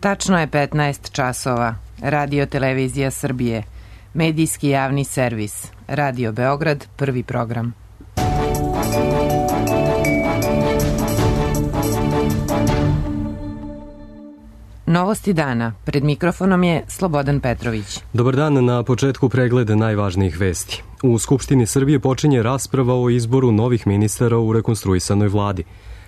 Tačno je 15 časova. Radio Televizija Srbije. Medijski javni servis. Radio Beograd, prvi program. Novosti dana. Pred mikrofonom je Slobodan Petrović. Dobar dan, na početku pregleda najvažnijih vesti. U Skupštini Srbije počinje rasprava o izboru novih ministara u rekonstruisanoj vladi.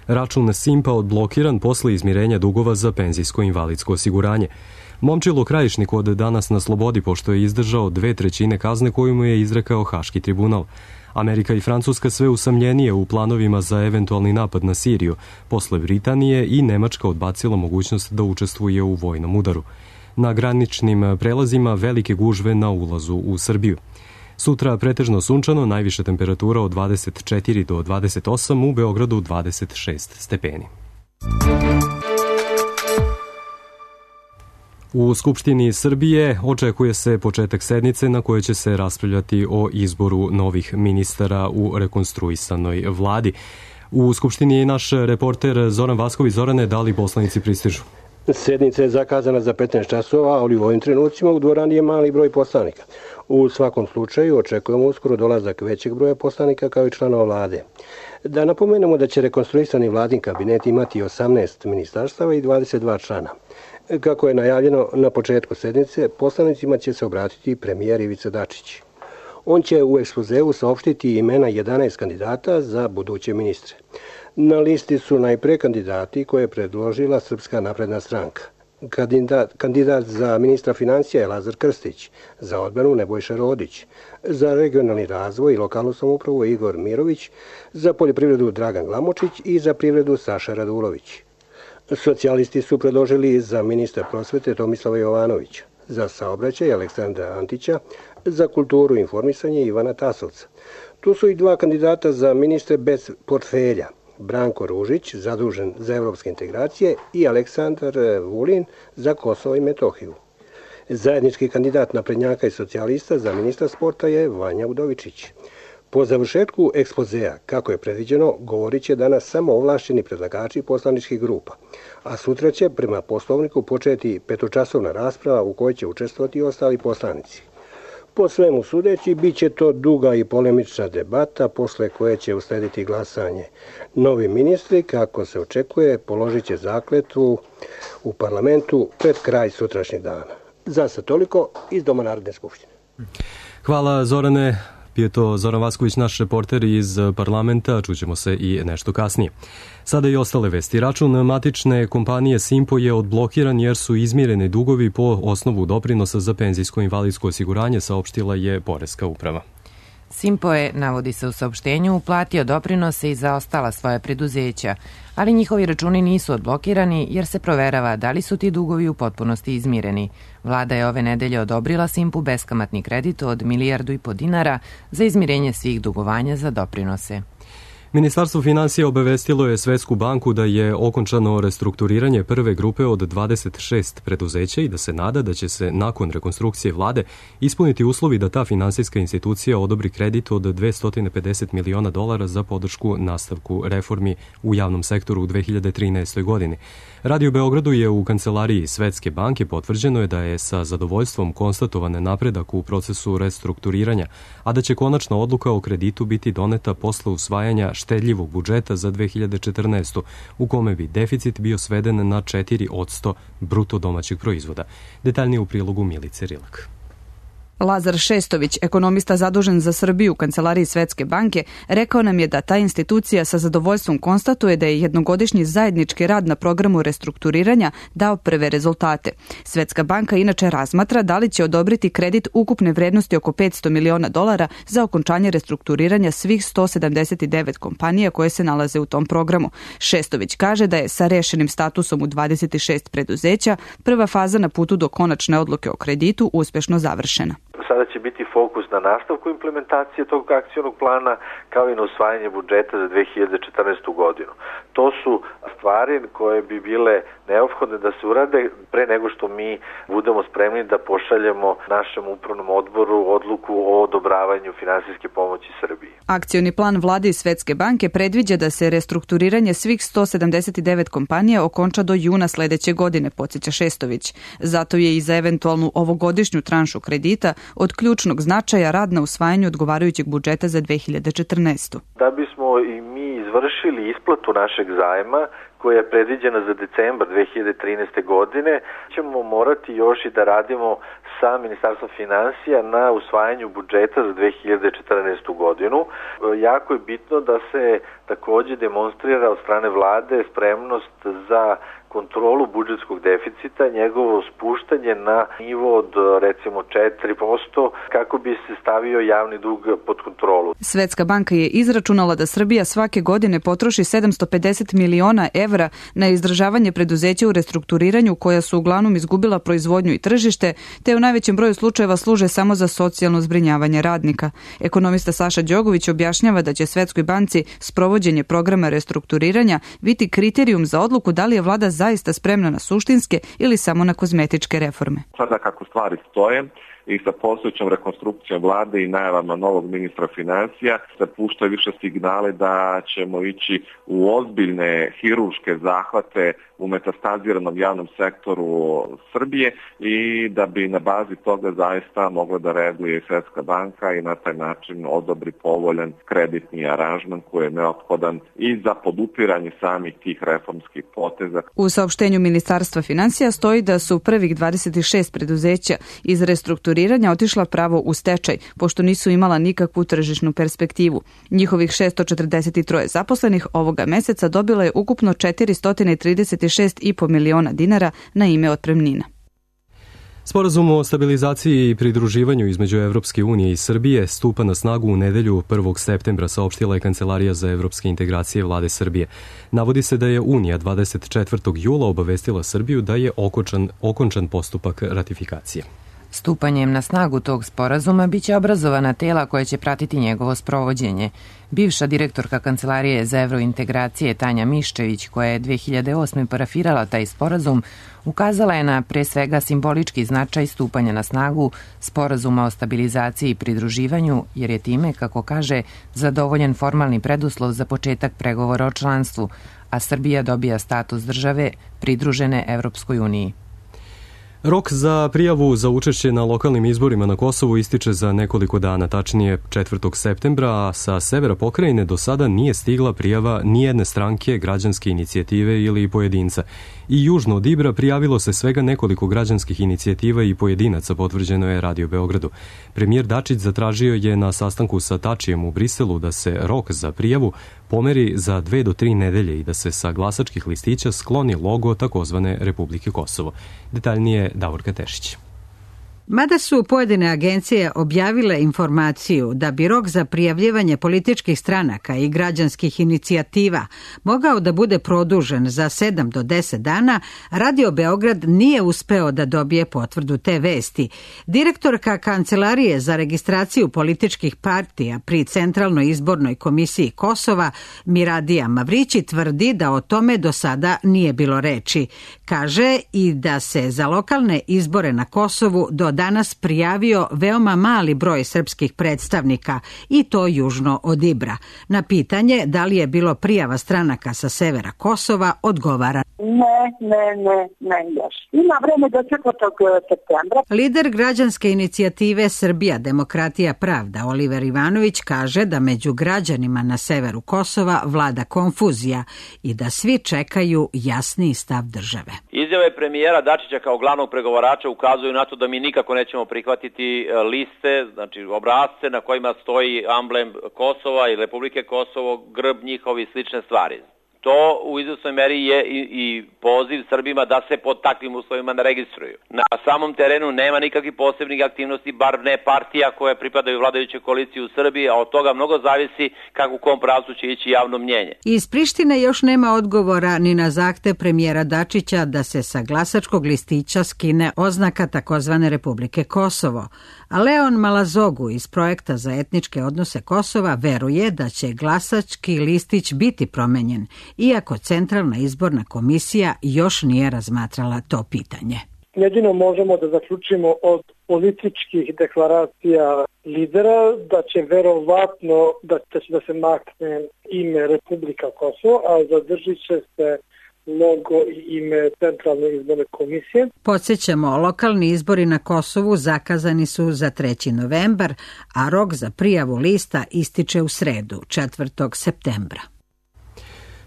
Račun Simpa odblokiran posle izmirenja dugova za penzijsko-invalidsko osiguranje. Momčilo Krajišnik od danas na slobodi pošto je izdržao 2/3 kazne koju mu je izrekao Haški tribunal. Amerika i Francuska sve usamljenije u planovima za eventualni napad na Siriju. Posle Britanije i Nemačka odbacila mogućnost da učestvuje u vojnom udaru. Na graničnim prelazima velike gužve na ulazu u Srbiju. Sutra pretežno sunčano, najviša temperatura od 24 do 28, u Beogradu 26 stepeni. U Skupštini Srbije očekuje se početak sednice na kojoj će se raspravljati o izboru novih ministara u rekonstruisanoj vladi. U Skupštini je naš reporter Zoran Vasković. Zorane, da li poslanici pristižu? Sednica je zakazana za 15 časova, ali u ovim trenucima u dvorani je mali broj poslanika. U svakom slučaju očekujemo uskoro dolazak većeg broja poslanika kao i članova vlade. Da napomenemo da će rekonstruisani vladin kabinet imati 18 ministarstava i 22 člana. Kako je najavljeno na početku sednice, poslanicima će se obratiti premijer Ivica Dačić. On će u ekspozeu saopštiti imena 11 kandidata za buduće ministre. Na listi su najpre kandidati koje je predložila Srpska napredna stranka. Kandidat za ministra financija je Lazar Krstić, za odbranu Nebojša Rodić, za regionalni razvoj i lokalnu samoupravu Igor Mirović, za poljoprivredu Dragan Glamočić i za privredu Saša Radulović. Socijalisti su predložili za ministra prosvete Tomislava Jovanovića, za saobraćaj Aleksandra Antića, za kulturu i informisanje Ivana Tasovca. Tu su i dva kandidata za ministre bez portfelja, Branko Ružić, zadužen za evropske integracije, i Aleksandar Vulin za Kosovo i Metohiju. Zajednički kandidat naprednjaka i socijalista za ministra sporta je Vanja Udovičić. Po završetku ekspozea, kako je predviđeno, govorit će danas samo ovlašćeni predlagači poslaničkih grupa, a sutra će prema poslovniku početi petočasovna rasprava u kojoj će učestvovati i ostali poslanici. Po svemu sudeći, bit će to duga i polemična debata, posle koje će uslediti glasanje. Novi ministri, kako se očekuje, položit će zakletvu u parlamentu pred kraj sutrašnjeg dana. Za sad toliko iz Doma Narodne skupštine. Hvala, Zorane. Je to Zoran Vasković, naš reporter iz parlamenta, čućemo se i nešto kasnije. Sada i ostale vesti. Račun matične kompanije Simpo je odblokiran jer su izmireni dugovi po osnovu doprinosa za penzijsko-invalidsko osiguranje, saopštila je Poreska uprava. Simpo je, navodi se u saopštenju, uplatio doprinose i za ostala svoja preduzeća, ali njihovi računi nisu odblokirani jer se proverava da li su ti dugovi u potpunosti izmireni. Vlada je ove nedelje odobrila Simpu beskamatni kredit od 1,5 milijardu dinara za izmirenje svih dugovanja za doprinose. Ministarstvo finansija obavestilo je Svetsku banku da je okončano restrukturiranje prve grupe od 26 preduzeća i da se nada da će se nakon rekonstrukcije vlade ispuniti uslovi da ta finansijska institucija odobri kredit od $250 miliona za podršku nastavku reformi u javnom sektoru u 2013. godini. Radio Beogradu je u kancelariji Svetske banke potvrđeno je da je sa zadovoljstvom konstatovan napredak u procesu restrukturiranja, a da će konačna odluka o kreditu biti doneta posle usvajanja štedljivog budžeta za 2014. u kome bi deficit bio sveden na 4% bruto domaćeg proizvoda. Detaljnije u prilogu Milice Rilak. Lazar Šestović, ekonomista zadužen za Srbiju u kancelariji Svetske banke, rekao nam je da ta institucija sa zadovoljstvom konstatuje da je jednogodišnji zajednički rad na programu restrukturiranja dao prve rezultate. Svetska banka inače razmatra da li će odobriti kredit ukupne vrednosti oko $500 miliona za okončanje restrukturiranja svih 179 kompanija koje se nalaze u tom programu. Šestović kaže da je sa rešenim statusom u 26 preduzeća prva faza na putu do konačne odluke o kreditu uspešno završena. Sada će biti fokus na nastavku implementacije tog akcionog plana, kao i na usvajanje budžeta za 2014. godinu. To su stvari koje bi bile neophodne da se urade pre nego što mi budemo spremni da pošaljemo našem upravnom odboru odluku o odobravanju finansijske pomoći Srbiji. Akcioni plan Vlade i Svetske banke predviđa da se restrukturiranje svih 179 kompanija okonča do juna sledeće godine, podsjeća Šestović. Zato je i za eventualnu ovogodišnju tranšu kredita od ključnog značaja rad na usvajanju odgovarajućeg budžeta za 2014. Da bismo i mi izvršili isplatu našeg zajma, koja je predviđena za decembar 2013. godine, ćemo morati još i da radimo sa Ministarstvom finansija na usvajanju budžeta za 2014. godinu. Jako je bitno da se takođe demonstrira od strane vlade spremnost za kontrolu budžetskog deficita, njegovo spuštanje na nivo od recimo 4% kako bi se stavio javni dug pod kontrolu. Svetska banka je izračunala da Srbija svake godine potroši 750 miliona evra na izdržavanje preduzeća u restrukturiranju koja su uglavnom izgubila proizvodnju i tržište, te u najvećem broju slučajeva služe samo za socijalno zbrinjavanje radnika. Ekonomista Saša Đogović objašnjava da će Svetskoj banci sprovođenje programa restrukturiranja biti kriterijum za odluku da li je vlada zaista spremna na suštinske ili samo na kozmetičke reforme. Sada kako stvari stoje i sa postojećom rekonstrukcijom vlade i najavama novog ministra financija se puštaju više signale da ćemo ići u ozbiljne hirurške zahvate u metastaziranom javnom sektoru Srbije i da bi na bazi toga zaista mogla da reaguje Svetska banka i na taj način odobri povoljan kreditni aranžman koji je neophodan i za podupiranje samih tih reformskih poteza. U saopštenju Ministarstva finansija stoji da su prvih 26 preduzeća iz restrukturiranja otišla pravo u stečaj, pošto nisu imala nikakvu tržišnu perspektivu. Njihovih 643 zaposlenih ovoga meseca dobila je ukupno 436,5 miliona dinara na ime otpremnina. Sporazum o stabilizaciji i pridruživanju između Evropske unije i Srbije stupa na snagu u nedelju 1. septembra, saopštila je Kancelarija za evropske integracije Vlade Srbije. Navodi se da je Unija 24. jula obavestila Srbiju da je okončan postupak ratifikacije. Stupanjem na snagu tog sporazuma biće obrazovana tela koja će pratiti njegovo sprovođenje. Bivša direktorka Kancelarije za evrointegracije Tanja Miščević, koja je 2008. parafirala taj sporazum, ukazala je na pre svega simbolički značaj stupanja na snagu sporazuma o stabilizaciji i pridruživanju, jer je time, kako kaže, zadovoljen formalni preduslov za početak pregovora o članstvu, a Srbija dobija status države pridružene Evropskoj uniji. Rok za prijavu za učešće na lokalnim izborima na Kosovu ističe za nekoliko dana, tačnije 4. septembra, a sa severa pokrajine do sada nije stigla prijava nijedne stranke, građanske inicijative ili pojedinca. I južno od Ibra prijavilo se svega nekoliko građanskih inicijativa i pojedinaca, potvrđeno je Radio Beogradu. Premijer Dačić zatražio je na sastanku sa Tačijem u Briselu da se rok za prijavu pomeri za 2 do 3 nedelje i da se sa glasačkih listića skloni logo takozvane Republike Kosovo. Detaljnije Davorka Tešić. Mada su pojedine agencije objavile informaciju da bi rok za prijavljivanje političkih stranaka i građanskih inicijativa mogao da bude produžen za 7 do 10 dana, Radio Beograd nije uspeo da dobije potvrdu te vesti. Direktorka Kancelarije za registraciju političkih partija pri Centralnoj izbornoj komisiji Kosova, Miradija Mavrići, tvrdi da o tome do sada nije bilo reči. Kaže i da se za lokalne izbore na Kosovu do danas prijavio veoma mali broj srpskih predstavnika i to južno od Ibra. Na pitanje da li je bilo prijava stranaka sa severa Kosova odgovara: Ne, još. Ima vreme do 4. septembra. Lider građanske inicijative Srbija, demokratija, pravda, Oliver Ivanović, kaže da među građanima na severu Kosova vlada konfuzija i da svi čekaju jasniji stav države. Izjave premijera Dačića kao glavnog pregovarača ukazuju na to da mi nikako nećemo prihvatiti liste, znači obrasce na kojima stoji amblem Kosova i Republike Kosovo, grb njihov i slične stvari. To u izvesnoj meri je i poziv Srbima da se pod takvim uslovima ne registruju. Na samom terenu nema nikakvih posebnih aktivnosti, bar ne partija koje pripadaju vladajućoj koaliciji u Srbiji, a od toga mnogo zavisi kako u kom pravcu će ići javno mnjenje. Iz Prištine još nema odgovora ni na zahtev premijera Dačića da se sa glasačkog listića skine oznaka takozvane Republike Kosovo. A Leon Malazogu iz Projekta za etničke odnose Kosova veruje da će glasački listić biti promenjen, iako Centralna izborna komisija još nije razmatrala to pitanje. Jedino možemo da zaključimo od političkih deklaracija lidera da će verovatno da se makne ime Republika Kosovo, a zadržit će se logo i ime Centralne izborne komisije. Podsjećamo, lokalni izbori na Kosovu zakazani su za 3. novembar, a rok za prijavu lista ističe u sredu, 4. septembra.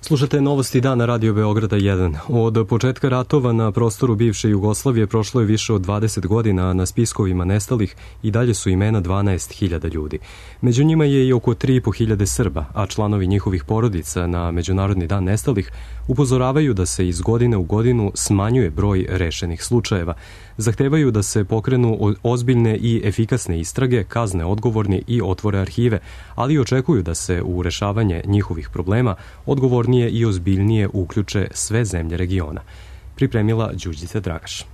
Slušate novosti dana Radio Beograda 1. Od početka ratova na prostoru bivše Jugoslavije prošlo je više od 20 godina, a na spiskovima nestalih i dalje su imena 12.000 ljudi. Među njima je i oko 3.500 Srba, a članovi njihovih porodica na Međunarodni dan nestalih upozoravaju da se iz godine u godinu smanjuje broj rešenih slučajeva. Zahtevaju da se pokrenu ozbiljne i efikasne istrage, kazne odgovorni i otvore arhive, ali očekuju da se u rešavanje njihovih problema odgovornije i ozbiljnije uključe sve zemlje regiona. Pripremila Đurđica Dragaš.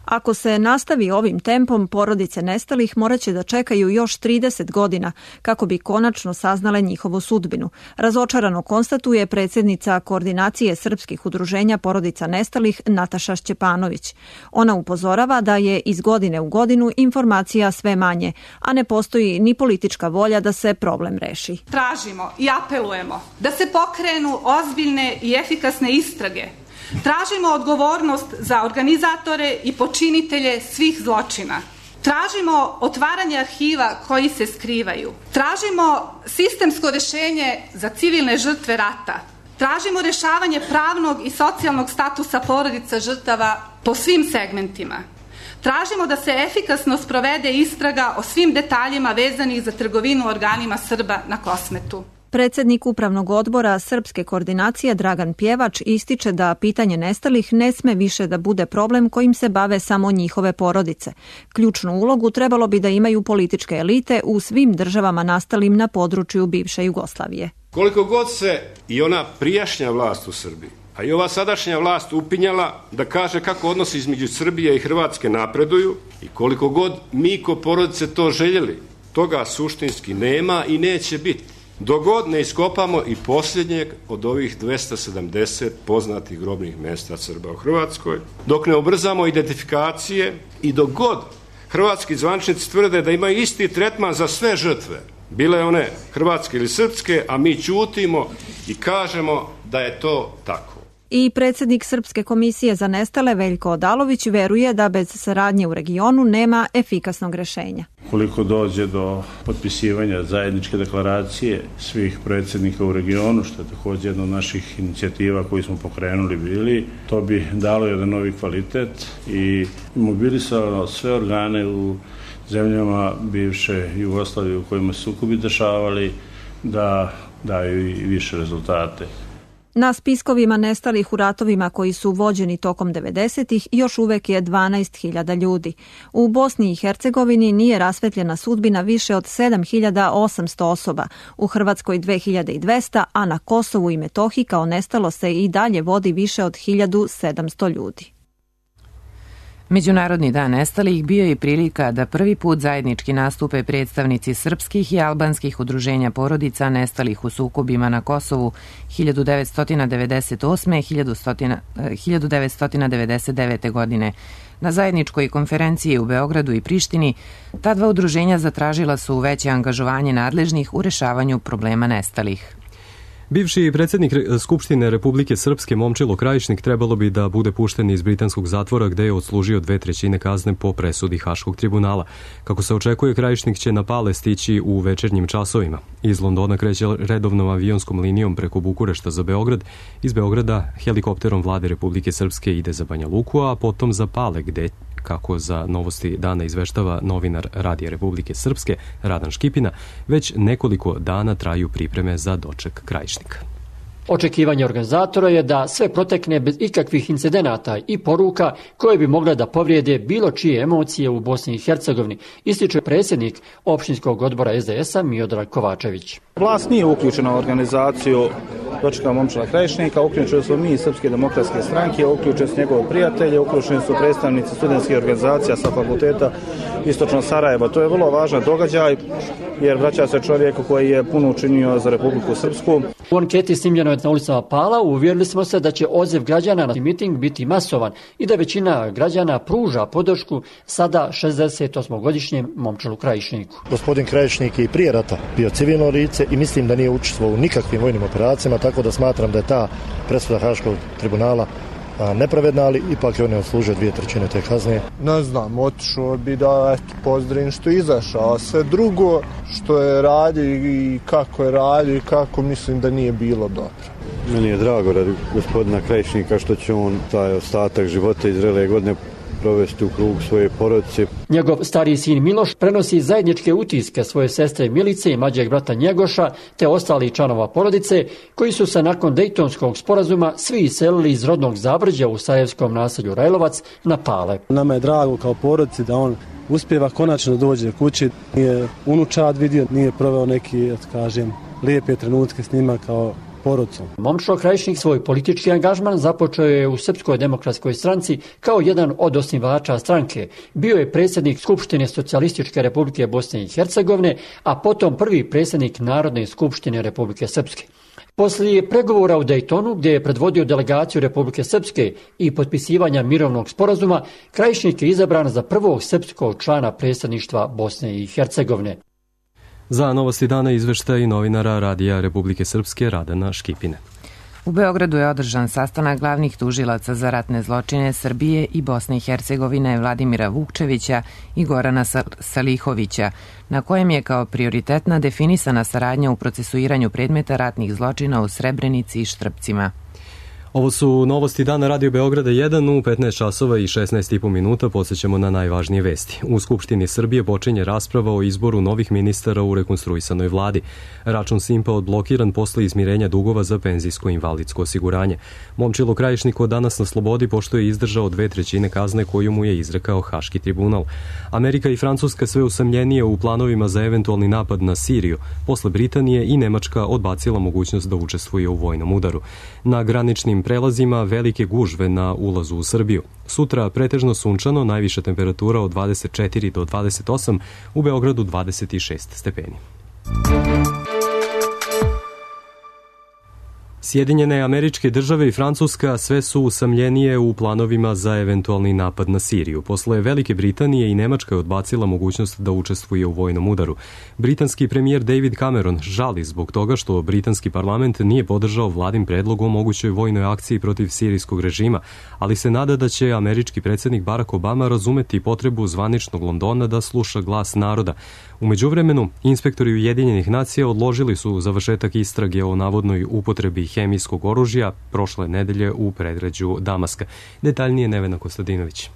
Ako se nastavi ovim tempom, porodice nestalih moraće da čekaju još 30 godina kako bi konačno saznale njihovu sudbinu. Razočarano konstatuje predsjednica Koordinacije srpskih udruženja porodica nestalih Nataša Šćepanović. Ona upozorava da je iz godine u godinu informacija sve manje, a ne postoji ni politička volja da se problem reši. Tražimo i apelujemo da se pokrenu ozbiljne i efikasne istrage. Tražimo odgovornost za organizatore i počinitelje svih zločina. Tražimo otvaranje arhiva koji se skrivaju. Tražimo sistemsko rješenje za civilne žrtve rata. Tražimo rješavanje pravnog i socijalnog statusa porodica žrtava po svim segmentima. Tražimo da se efikasno sprovede istraga o svim detaljima vezanih za trgovinu organima Srba na Kosmetu. Predsjednik Upravnog odbora Srpske koordinacije Dragan Pjevač ističe da pitanje nestalih ne sme više da bude problem kojim se bave samo njihove porodice. Ključnu ulogu trebalo bi da imaju političke elite u svim državama nastalim na području bivše Jugoslavije. Koliko god se i ona prijašnja vlast u Srbiji, a i ova sadašnja vlast upinjala da kaže kako odnosi između Srbije i Hrvatske napreduju i koliko god mi ko porodice to željeli, toga suštinski nema i neće biti. Dok god ne iskopamo i posljednjeg od ovih 270 poznatih grobnih mjesta Srba u Hrvatskoj, dok ne ubrzamo identifikacije i dok god hrvatski zvaničnici tvrde da imaju isti tretman za sve žrtve, bile one hrvatske ili srpske, a mi ćutimo i kažemo da je to tako. I predsjednik Srpske komisije za nestale Veljko Odalović veruje da bez saradnje u regionu nema efikasnog rješenja. Koliko dođe do potpisivanja zajedničke deklaracije svih predsjednika u regionu, što je također jedna od naših inicijativa koju smo pokrenuli bili, to bi dalo jedan novi kvalitet i mobilisalo sve organe u zemljama bivše Jugoslavije u kojima su sukobi dešavali da daju i više rezultate. Na spiskovima nestalih u ratovima koji su vođeni tokom 90-ih još uvek je 12.000 ljudi. U Bosni i Hercegovini nije rasvetljena sudbina više od 7.800 osoba, u Hrvatskoj 2.200, a na Kosovu i Metohiji kao nestalo se i dalje vodi više od 1.700 ljudi. Međunarodni dan nestalih bio je prilika da prvi put zajednički nastupe predstavnici srpskih i albanskih udruženja porodica nestalih u sukobima na Kosovu 1998. 1999. godine. Na zajedničkoj konferenciji u Beogradu i Prištini ta dva udruženja zatražila su veće angažovanje nadležnih u rešavanju problema nestalih. Bivši predsjednik Skupštine Republike Srpske Momčilo Krajišnik trebalo bi da bude pušten iz britanskog zatvora gde je odslužio 2/3 kazne po presudi Haškog tribunala. Kako se očekuje, Krajišnik će na Pale stići u večernjim časovima. Iz Londona kreće redovnom avionskom linijom preko Bukurešta za Beograd. Iz Beograda helikopterom vlade Republike Srpske ide za Banja Luku, a potom za Pale gde, kako za Novosti dana izveštava novinar Radija Republike Srpske Radan Škipina, već nekoliko dana traju pripreme za doček Krajišnika. Očekivanje organizatora je da sve protekne bez ikakvih incidenata i poruka koje bi mogle da povrijede bilo čije emocije u Bosni i Hercegovini, ističe predsjednik opštinskog odbora SDS-a Miodrag Kovačević. Vlast nije uključena u organizaciju dočeka Momčila Krajišnika, uključeni su mi iz Srpske demokratske stranke, uključeni su njegove prijatelje, uključeni su predstavnici studentskih organizacija sa fakulteta Istočno Sarajeva. To je vrlo važan događaj jer vraća se čovjeku koji je puno učinio za Republiku Srpsku. U anketi snimljenoj na ulicama Pala uvjerili smo se da će odziv građana na miting biti masovan i da većina građana pruža podršku sada 68-godišnjem Momčilu Krajišniku. Gospodin Krajišnik je i prije rata bio civilno lice i mislim da nije učestvovao u nikakvim vojnim operacijama, tako da smatram da je ta presuda Haškog tribunala nepravedna, ali ipak je on je odslužio 2/3 te kazne. Ne znam, otišao bi da pozdravim što je izašao, a sve drugo što je radio i kako je radio i kako, mislim da nije bilo dobro. Meni je drago radi gospodina Krajišnika što će on taj ostatak života iz zrele godine provesti u krugu svoje porodice. Njegov stariji sin Miloš prenosi zajedničke utiske svoje sestre Milice i mlađeg brata Njegoša te ostalih članova porodice koji su se nakon Dejtonskog sporazuma svi iselili iz rodnog Zabrđa u sarajevskom naselju Rajlovac na Pale. Nama je drago kao porodici da on uspjeva konačno dođe kući. Nije unučad vidio, nije proveo neki, da kažem, lijepe trenutke s njima kao porodcom. Momčilo Krajišnik svoj politički angažman započeo je u Srpskoj demokratskoj stranci kao jedan od osnivača stranke. Bio je predsjednik Skupštine Socijalističke Republike Bosne i Hercegovine, a potom prvi predsjednik Narodne skupštine Republike Srpske. Poslije pregovora u Dejtonu, gdje je predvodio delegaciju Republike Srpske i potpisivanja mirovnog sporazuma, Krajišnik je izabran za prvog srpskog člana predsjedništva Bosne i Hercegovine. Za Novosti dana izveštaj novinara Radija Republike Srpske Radana Škipine. U Beogradu je održan sastanak glavnih tužilaca za ratne zločine Srbije i Bosne i Hercegovine Vladimira Vukčevića i Gorana Salihovića, na kojem je kao prioritetna definisana saradnja u procesuiranju predmeta ratnih zločina u Srebrenici i Štrpcima. Ovo su Novosti dana Radio Beograda 1 u 15 časova i 16,5 minuta. Podsjećamo na najvažnije vesti. U Skupštini Srbije počinje rasprava o izboru novih ministara u rekonstruisanoj vladi. Račun Simpa odblokiran posle izmirenja dugova za penzijsko i invalidsko osiguranje. Momčilo Krajišnik od danas na slobodi pošto je izdržao 2/3 kazne koju mu je izrekao Haški tribunal. Amerika i Francuska sve usamljenije u planovima za eventualni napad na Siriju. Posle Britanije i Nemačka odbacila mogućnost da učestvuje u vojnom udaru. Na graničnim prelazima velike gužve na ulazu u Srbiju. Sutra pretežno sunčano, najviša temperatura od 24 do 28, u Beogradu 26 stepeni. Sjedinjene Američke Države i Francuska sve su usamljenije u planovima za eventualni napad na Siriju. Posle Velike Britanije i Nemačka je odbacila mogućnost da učestvuje u vojnom udaru. Britanski premijer David Cameron žali zbog toga što britanski parlament nije podržao vladin predlog o mogućoj vojnoj akciji protiv sirijskog režima, ali se nada da će američki predsjednik Barack Obama razumeti potrebu zvaničnog Londona da sluša glas naroda. U međuvremenu, inspektori Ujedinjenih nacija odložili su završetak istrage o navodnoj upotrebi hemijskog oružja prošle nedelje u predgrađu Damaska. Detaljnije Nevena Kostadinović.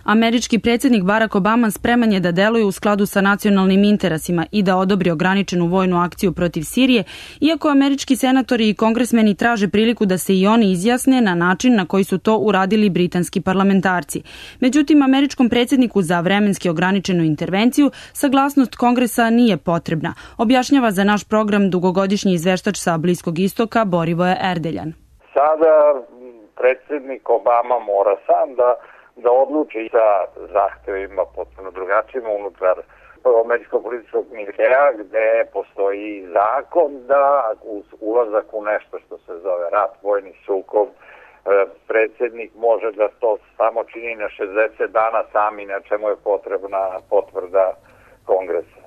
Američki predsjednik Barack Obama spreman je da deluje u skladu sa nacionalnim interesima i da odobri ograničenu vojnu akciju protiv Sirije, iako američki senatori i kongresmeni traže priliku da se i oni izjasne na način na koji su to uradili britanski parlamentarci. Međutim, američkom predsjedniku za vremenski ograničenu intervenciju saglasnost Kongresa nije potrebna, objašnjava za naš program dugogodišnji izveštač sa Bliskog istoka Borivoje Erdeljan. Sada predsjednik Obama mora sam da odluči sa zahtevima potpuno drugačijima unutar američkog političkog miljea, gde postoji zakon da uz ulazak u nešto što se zove rat, vojni sukob, predsjednik može da to samo čini na 60 dana sami, na čemu je potrebna potvrda Kongresa.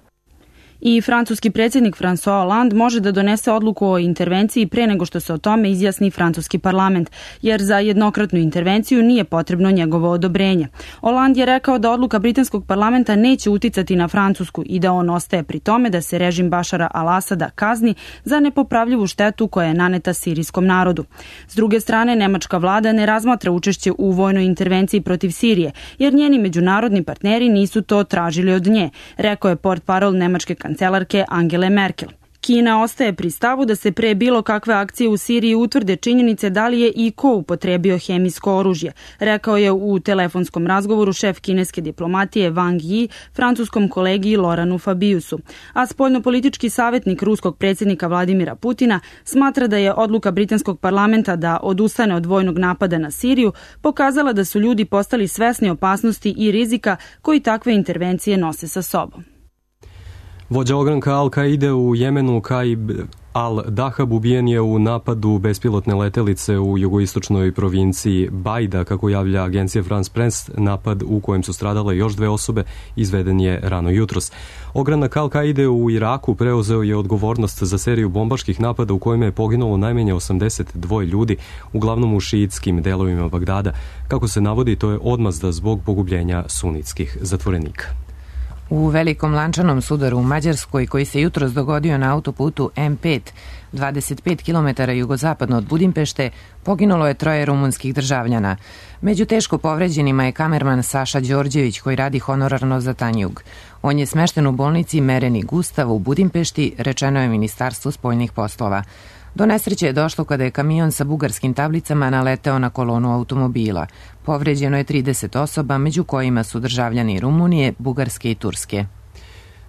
I francuski predsjednik François Hollande može da donese odluku o intervenciji pre nego što se o tome izjasni francuski parlament, jer za jednokratnu intervenciju nije potrebno njegovo odobrenje. Hollande je rekao da odluka britanskog parlamenta neće uticati na Francusku i da on ostaje pri tome da se režim Bašara al-Asada kazni za nepopravljivu štetu koja je naneta sirijskom narodu. S druge strane, nemačka vlada ne razmatra učešće u vojnoj intervenciji protiv Sirije, jer njeni međunarodni partneri nisu to tražili od nje, rekao je portparol nemačke kancelarke Angele Merkel. Kina ostaje pri stavu da se pre bilo kakve akcije u Siriji utvrde činjenice da li je i ko upotrebio hemijsko oružje, rekao je u telefonskom razgovoru šef kineske diplomatije Wang Yi francuskom kolegi Laurenu Fabiusu. A spoljnopolitički savjetnik ruskog predsjednika Vladimira Putina smatra da je odluka britanskog parlamenta da odustane od vojnog napada na Siriju pokazala da su ljudi postali svesni opasnosti i rizika koji takve intervencije nose sa sobom. Vođa ogranka Al-Kaide u Jemenu, Kaib al-Dahab, ubijen je u napadu bespilotne letelice u jugoistočnoj provinciji Bajda, kako javlja agencija France Press. Napad u kojem su stradale još 2 osobe izveden je rano jutros. Ogranak Al-Kaide u Iraku preuzeo je odgovornost za seriju bombaških napada u kojima je poginulo najmanje 82 ljudi, uglavnom u šiitskim delovima Bagdada. Kako se navodi, to je odmazda zbog pogubljenja sunitskih zatvorenika. U velikom lančanom sudaru u Mađarskoj, koji se jutros dogodio na autoputu M5, 25 km jugozapadno od Budimpešte, poginulo je 3 rumunskih državljana. Među teško povređenima je kamerman Saša Đorđević, koji radi honorarno za Tanjug. On je smešten u bolnici Mereni Gustav u Budimpešti, rečeno je Ministarstvu spoljnih poslova. Do nesreće je došlo kada je kamion sa bugarskim tablicama naleteo na kolonu automobila. Povređeno je 30 osoba, među kojima su državljani Rumunije, Bugarske i Turske.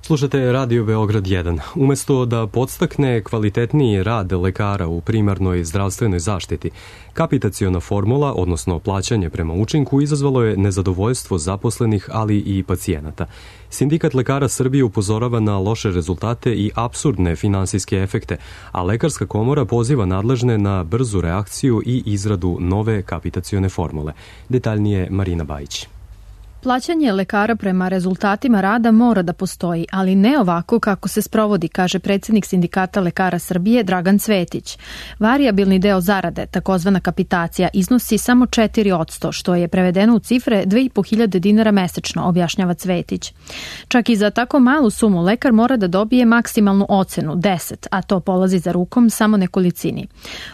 Slušate Radio Beograd 1. Umesto da podstakne kvalitetniji rad lekara u primarnoj zdravstvenoj zaštiti, kapitaciona formula, odnosno plaćanje prema učinku, izazvalo je nezadovoljstvo zaposlenih, ali i pacijenata. Sindikat lekara Srbije upozorava na loše rezultate i apsurdne finansijske efekte, a Lekarska komora poziva nadležne na brzu reakciju i izradu nove kapitacione formule. Detaljnije Marina Bajić. Plaćanje lekara prema rezultatima rada mora da postoji, ali ne ovako kako se sprovodi, kaže predsjednik Sindikata lekara Srbije Dragan Cvetić. Varijabilni deo zarade, takozvana kapitacija, iznosi samo 4%, što je prevedeno u cifre 2.500 dinara mesečno, objašnjava Cvetić. Čak i za tako malu sumu lekar mora da dobije maksimalnu ocenu, 10, a to polazi za rukom samo nekolicini.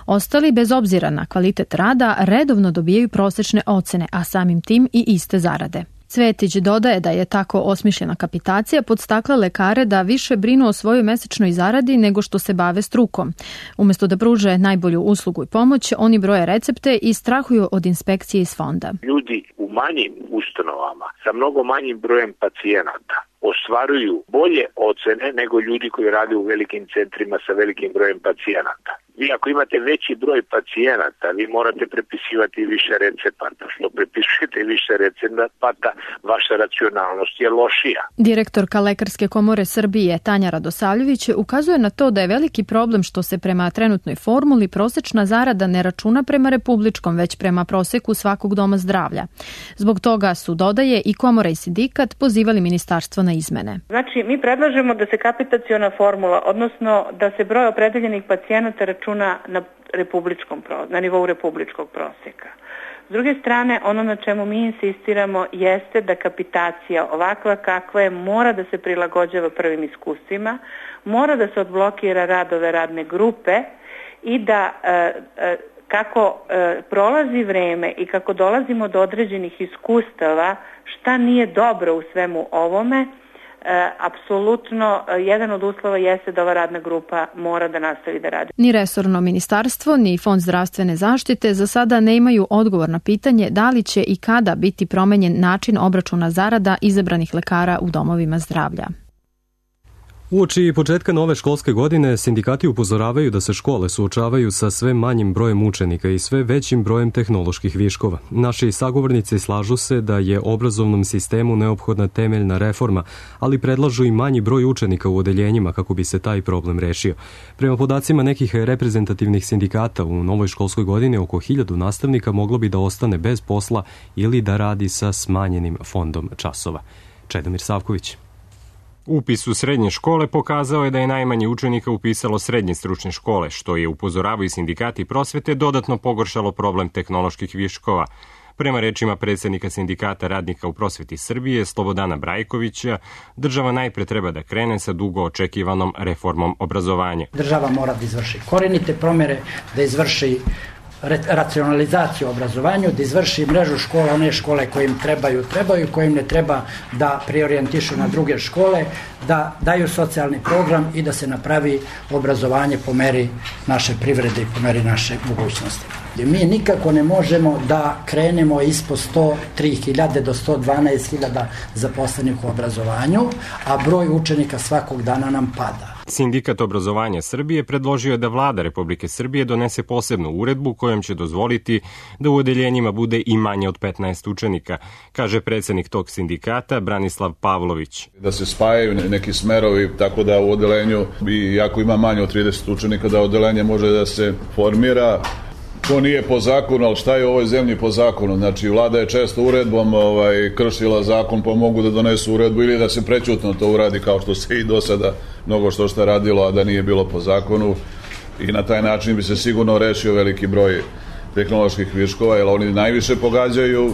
Ostali, bez obzira na kvalitet rada, redovno dobijaju prosečne ocene, a samim tim i iste zarade. Cvetić dodaje da je tako osmišljena kapitacija podstakla lekare da više brinu o svojoj mesečnoj zaradi nego što se bave strukom. Umjesto da pruže najbolju uslugu i pomoć, oni broje recepte i strahuju od inspekcije iz fonda. Ljudi u manjim ustanovama sa mnogo manjim brojem pacijenata ostvaruju bolje ocene nego ljudi koji rade u velikim centrima sa velikim brojem pacijenata. Vi ako imate veći broj pacijenata, vi morate prepisivati više recepata. Što prepisujete više recepata, vaša racionalnost je lošija. Direktorka Lekarske komore Srbije Tanja Radosavljević ukazuje na to da je veliki problem što se prema trenutnoj formuli prosečna zarada ne računa prema republičkom, već prema proseku svakog doma zdravlja. Zbog toga su, dodaje, i komora i sindikat pozivali ministarstvo na izmene. Znači, mi predlažemo da se kapitaciona formula, odnosno da se broj opredeljenih pacijenata računa na nivou republičkog prosjeka. S druge strane, ono na čemu mi insistiramo jeste da kapitacija ovakva kakva je mora da se prilagođava prvim iskustvima, mora da se odblokira rad ove radne grupe i da kako prolazi vreme i kako dolazimo do određenih iskustava šta nije dobro u svemu ovome, apsolutno jedan od uslova jeste da ova radna grupa mora da nastavi da radi. Ni resorno ministarstvo, ni Fond zdravstvene zaštite za sada ne imaju odgovor na pitanje da li će i kada biti promenjen način obračuna zarada izabranih lekara u domovima zdravlja. Uoči početka nove školske godine, sindikati upozoravaju da se škole suočavaju sa sve manjim brojem učenika i sve većim brojem tehnoloških viškova. Naši sagovornici slažu se da je obrazovnom sistemu neophodna temeljna reforma, ali predlažu i manji broj učenika u odeljenjima kako bi se taj problem rešio. Prema podacima nekih reprezentativnih sindikata, u novoj školskoj godini oko 1000 nastavnika moglo bi da ostane bez posla ili da radi sa smanjenim fondom časova. Čedomir Savković. Upis u srednje škole pokazao je da je najmanje učenika upisalo srednje stručne škole, što je, upozoravaju sindikati prosvete, dodatno pogoršalo problem tehnoloških viškova. Prema rečima predsjednika Sindikata radnika u prosveti Srbije, Slobodana Brajkovića, država najpre treba da krene sa dugo očekivanom reformom obrazovanja. Država mora da izvrši korenite promjere, da izvrši racionalizaciju obrazovanju, da izvrši mrežu škola, one škole koje im trebaju, koje im ne treba da preorijentišu na druge škole, da daju socijalni program i da se napravi obrazovanje po meri naše privrede i po meri naše mogućnosti. Mi nikako ne možemo da krenemo ispod 103.000 do 112.000 zaposlenih u obrazovanju, a broj učenika svakog dana nam pada. Sindikat obrazovanja Srbije predložio je da vlada Republike Srbije donese posebnu uredbu kojom će dozvoliti da u odeljenjima bude i manje od 15 učenika, kaže predsednik tog sindikata Branislav Pavlović. Da se spajaju neki smerovi tako da u odeljenju, iako ima manje od 30 učenika, da odeljenje može da se formira. To nije po zakonu, ali šta je u ovoj zemlji po zakonu? Znači, vlada je često uredbom kršila zakon, pa mogu da donesu uredbu ili da se prećutno to uradi kao što se i do sada mnogo što radilo, a da nije bilo po zakonu. I na taj način bi se sigurno rešio veliki broj tehnoloških viškova, jer oni najviše pogađaju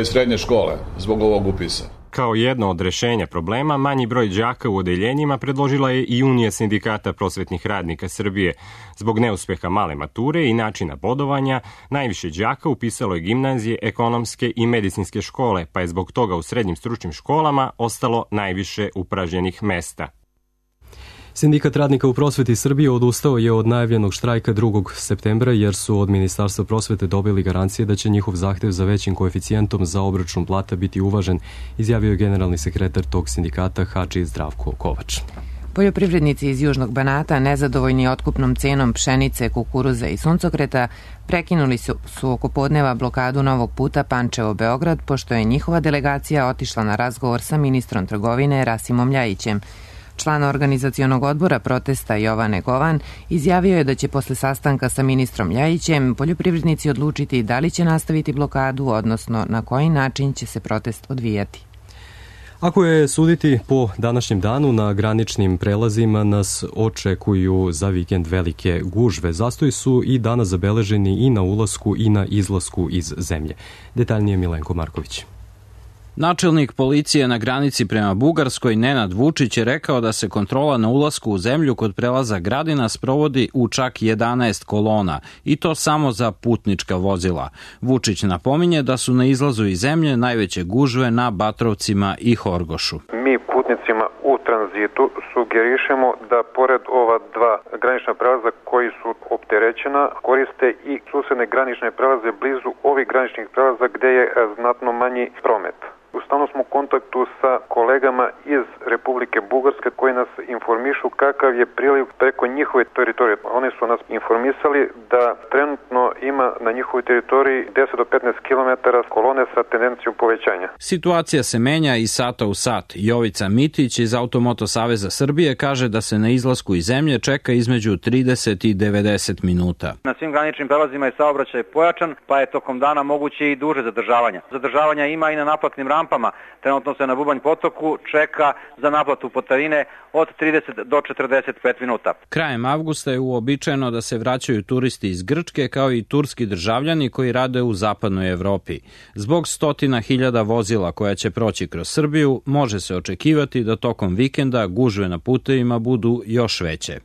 srednje škole zbog ovog upisa. Kao jedno od rešenja problema, manji broj đaka u odeljenjima predložila je i Unija sindikata prosvetnih radnika Srbije. Zbog neuspeha male mature i načina bodovanja, najviše đaka upisalo je gimnazije, ekonomske i medicinske škole, pa je zbog toga u srednjim stručnim školama ostalo najviše upražnjenih mesta. Sindikat radnika u prosveti Srbije odustao je od najavljenog štrajka 2. septembra jer su od Ministarstva prosvete dobili garancije da će njihov zahtev za većim koeficijentom za obračun plata biti uvažen, izjavio je generalni sekretar tog sindikata Hadži Zdravko Kovač. Poljoprivrednici iz Južnog Banata, nezadovoljni otkupnom cenom pšenice, kukuruza i suncokreta, prekinuli su oko podneva blokadu novog puta Pančevo-Beograd, pošto je njihova delegacija otišla na razgovor sa ministrom trgovine Rasimom Ljajićem. Član organizacionog odbora protesta Jovane Govan izjavio je da će posle sastanka sa ministrom Ljajićem poljoprivrednici odlučiti da li će nastaviti blokadu, odnosno na koji način će se protest odvijati. Ako je suditi po današnjem danu, na graničnim prelazima nas očekuju za vikend velike gužve. Zastoji su i danas zabeleženi i na ulasku i na izlasku iz zemlje. Detaljnije Milenko Marković. Načelnik policije na granici prema Bugarskoj Nenad Vučić je rekao da se kontrola na ulasku u zemlju kod prelaza Gradina sprovodi u čak 11 kolona i to samo za putnička vozila. Vučić napominje da su na izlazu iz zemlje najveće gužve na Batrovcima i Horgošu. Mi putnicima u tranzitu sugerišemo da pored ova dva granična prelaza koji su opterećena koriste i susedne granične prelaze blizu ovih graničnih prelaza gde je znatno manji promet. U stalnom smo u kontaktu sa kolegama iz Republike Bugarske koji nas informišu kakav je priliv preko njihove teritorije. Oni su nas informisali da trenutno ima na njihovoj teritoriji 10 do 15 km kolone sa tendencijom povećanja. Situacija se menja iz sata u sat. Jovica Mitić iz Automoto Saveza Srbije kaže da se na izlasku iz zemlje čeka između 30 i 90 minuta. Na svim graničnim prelazima je saobraćaj pojačan, pa je tokom dana moguće i duže zadržavanja. Zadržavanja ima i na naplatnim rampama. Trenutno se na Bubanj potoku čeka za naplatu putarine od 30 do 45 minuta. Krajem avgusta je uobičajeno da se vraćaju turisti iz Grčke kao i turski državljani koji rade u zapadnoj Evropi. Zbog 100.000 vozila koja će proći kroz Srbiju, može se očekivati da tokom vikenda gužve na putevima budu još veće.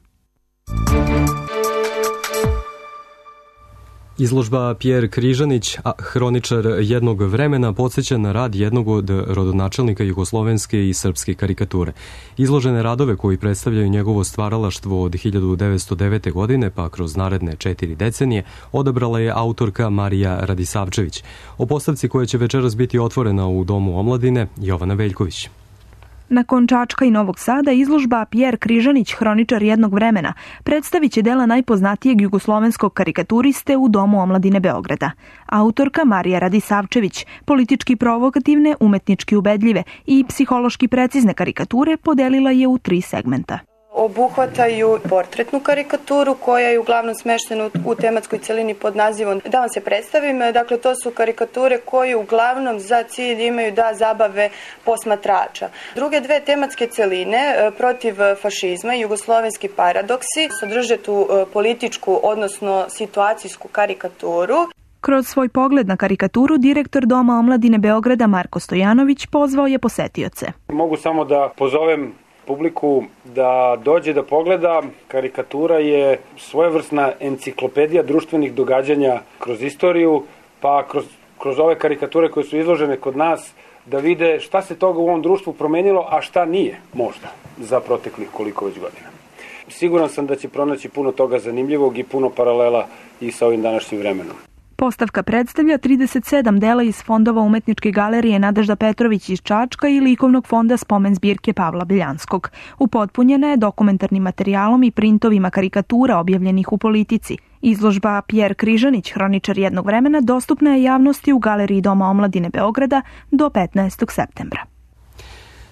Izložba Pjer Križanić, hroničar jednog vremena, podsjeća na rad jednog od rodonačelnika jugoslovenske i srpske karikature. Izložene radove koji predstavljaju njegovo stvaralaštvo od 1909. godine pa kroz naredne 4 decenije odabrala je autorka Marija Radisavčević. O postavci koja će večeras biti otvorena u Domu omladine, Jovana Veljković. Nakon Čačka i Novog Sada, izložba Pjer Križanić, hroničar jednog vremena, predstavit će dela najpoznatijeg jugoslovenskog karikaturiste u Domu omladine Beograda. Autorka Marija Radisavčević, politički provokativne, umetnički ubedljive i psihološki precizne karikature podelila je u 3 segmenta. Obuhvataju portretnu karikaturu koja je uglavnom smeštena u tematskoj celini pod nazivom Da vam se predstavim. Dakle, to su karikature koje uglavnom za cilj imaju da zabave posmatrača. Druge dve tematske celine, protiv fašizma i jugoslovenski paradoksi, sadrže tu političku, odnosno situacijsku karikaturu. Kroz svoj pogled na karikaturu, direktor Doma omladine Beograda Marko Stojanović pozvao je posetioce. Mogu samo da pozovem publiku da dođe da pogleda. Karikatura je svojevrsna enciklopedija društvenih događanja kroz istoriju, pa kroz ove karikature koje su izložene kod nas, da vide šta se toga u ovom društvu promenilo, a šta nije, možda, za proteklih koliko već godina. Siguran sam da će pronaći puno toga zanimljivog i puno paralela i sa ovim današnjim vremenom. Postavka predstavlja 37 dela iz fondova Umetničke galerije Nadežda Petrović iz Čačka i likovnog fonda Spomen zbirke Pavla Beljanskog. Upotpunjena je dokumentarnim materijalom i printovima karikatura objavljenih u Politici. Izložba Pjer Križanić, hroničar jednog vremena, dostupna je javnosti u Galeriji Doma omladine Beograda do 15. septembra.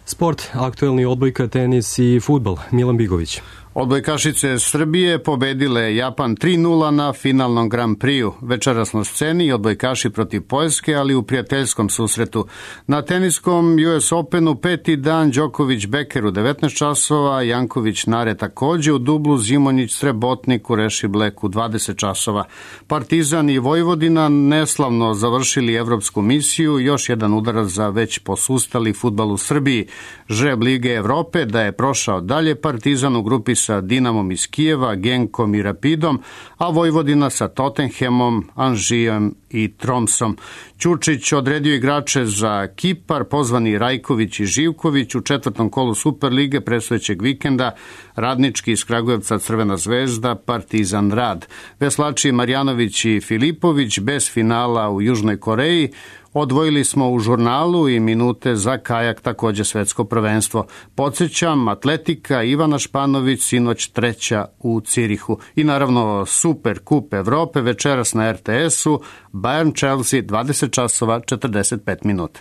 Sport, aktuelni odbojka, tenis i fudbal. Milan Bigović. Odbojkašice Srbije pobedile Japan 3-0 na finalnom Grand Prix-u. Večeras na sceni odbojkaši protiv Poljske, ali u prijateljskom susretu. Na teniskom US Openu peti dan Đoković Beker u 19 časova, Janković Nare takođe u dublu, Zimonjić Srebotnik u Rešiblek u 20 časova. Partizan i Vojvodina neslavno završili evropsku misiju, još jedan udarac za već posustali fudbal u Srbiji. Žreb Lige Evrope da je prošao dalje, Partizan u grupi sa Dinamom iz Kijeva, Genkom i Rapidom, a Vojvodina sa Tottenhamom, Anžijem i Tromsom. Ćurčić odredio igrače za Kipar, pozvani Rajković i Živković u četvrtom kolu Superlige predstojećeg vikenda, Radnički iz Kragujevca Crvena zvezda, Partizan Rad. Veslači Marjanović i Filipović bez finala u Južnoj Koreji. Odvojili smo u žurnalu i minute za kajak, takođe svetsko prvenstvo. Podsjećam, atletika Ivana Španović sinoć treća u Cirihu. I naravno Super kup Evrope večeras na RTS-u, Bayern Chelsea 20 časova 45 minuta.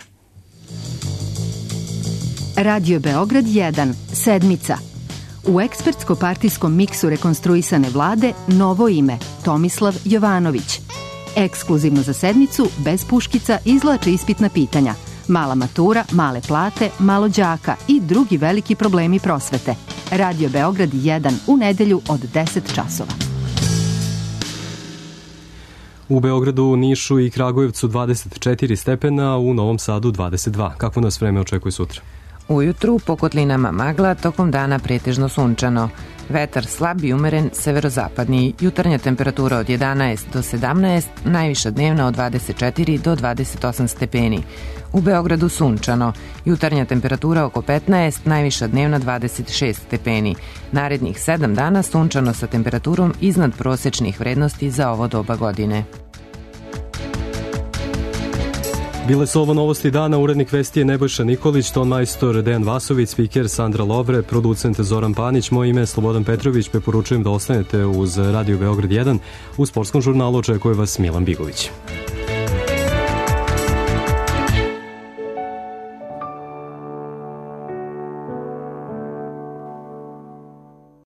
Radio Beograd 1, sedmica. U ekspertsko-partijskom miksu rekonstruisane vlade novo ime, Tomislav Jovanović. Ekskluzivno za sedmicu, bez puškica, izvlače ispitna pitanja. Mala matura, male plate, malo đaka i drugi veliki problemi prosvete. Radio Beograd 1 u nedelju od 10 časova. U Beogradu, Nišu i Kragujevcu 24 stepena, u Novom Sadu 22. Kako nas vreme očekuje sutra? Ujutru po kotlinama magla, tokom dana pretežno sunčano. Vetar slab i umeren severozapadni, jutarnja temperatura od 11 do 17, najviša dnevna od 24 do 28 stepeni. U Beogradu sunčano, jutarnja temperatura oko 15, najviša dnevna 26 stepeni. Narednih 7 dana sunčano sa temperaturom iznad prosečnih vrednosti za ovo doba godine. Bile su ovo novosti dana, urednik vesti je Nebojša Nikolić, ton majstor Dejan Vasović, spiker Sandra Lovre, producent Zoran Panić, moje ime je Slobodan Petrović, preporučujem da ostanete uz Radio Beograd 1. U sportskom žurnalu očekuje vas Milan Bigović.